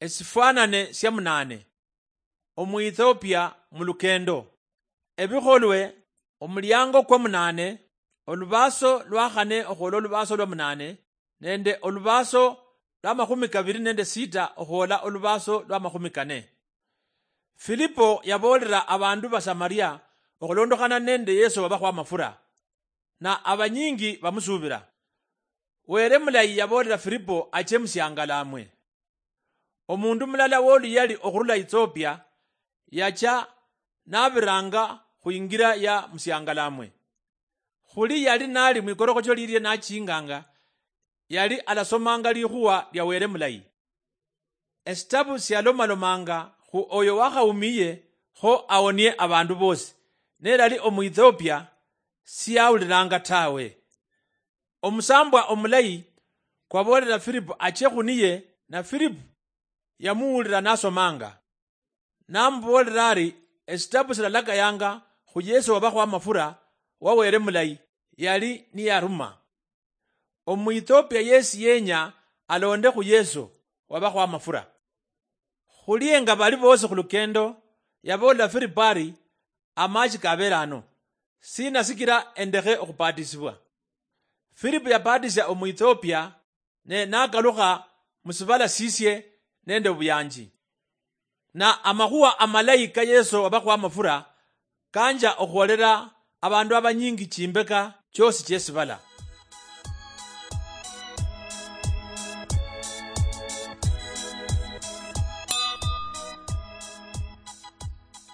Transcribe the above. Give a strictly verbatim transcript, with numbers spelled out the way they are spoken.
Esifwanane sia munane. Omuethiopia mulukendo. Ebikholwe, omuliango kwa munane, olubaaso lwa khane okhwola olubaaso lwa munane, nende olubaaso lwa makhumi kabiri nende sita okhwola olubaaso lwa makhumi kane. Filipo yaboolera abandu ba Samaria okhulondokhana nende Yesu wabakhwa amafura, na abanyingi bamusuubira. Were mulayi yaboolera Filipo ache musiangalamwe. Omundu mulala woluyali okhurula Ethiopia yacha nabiranga khwingira ya musiangalamwe. Khuli yali nali mwikorokhocho lilie nachinganga, yali alasomanga likhuwa lia Were mulayi. Esitabu sialomalomanga khu oyo wakhaumiye kho awonie abandu bosi, nelali Omuethiopia siyaulilanga tawe. Omusambwa omulayi kwaboolera Filipo ache khuniye, na Filipo yamuwulira nasomanga. Namuboolera ari, esitabu silalakayanga khu Yesu wabakhwa amafura wa Were mulayi yali niyaruma. Omuethiopia yesi yenya alonde khu Yesu wabakhwa amafura. Khulienga bali bosi khulukendo, yaboolera Filipo ari, amachi kabere ano, sina sikira endekhe okhubatisibwa? Filipo yabatisia Omuethiopia, ne nakalukha musibala sisie nende obuyanji. Na amakhuwa amalayi ka Yesu wabakhwa amafura kanja okhwolera abandu abanyingi chimbeka chiosi chiesibala.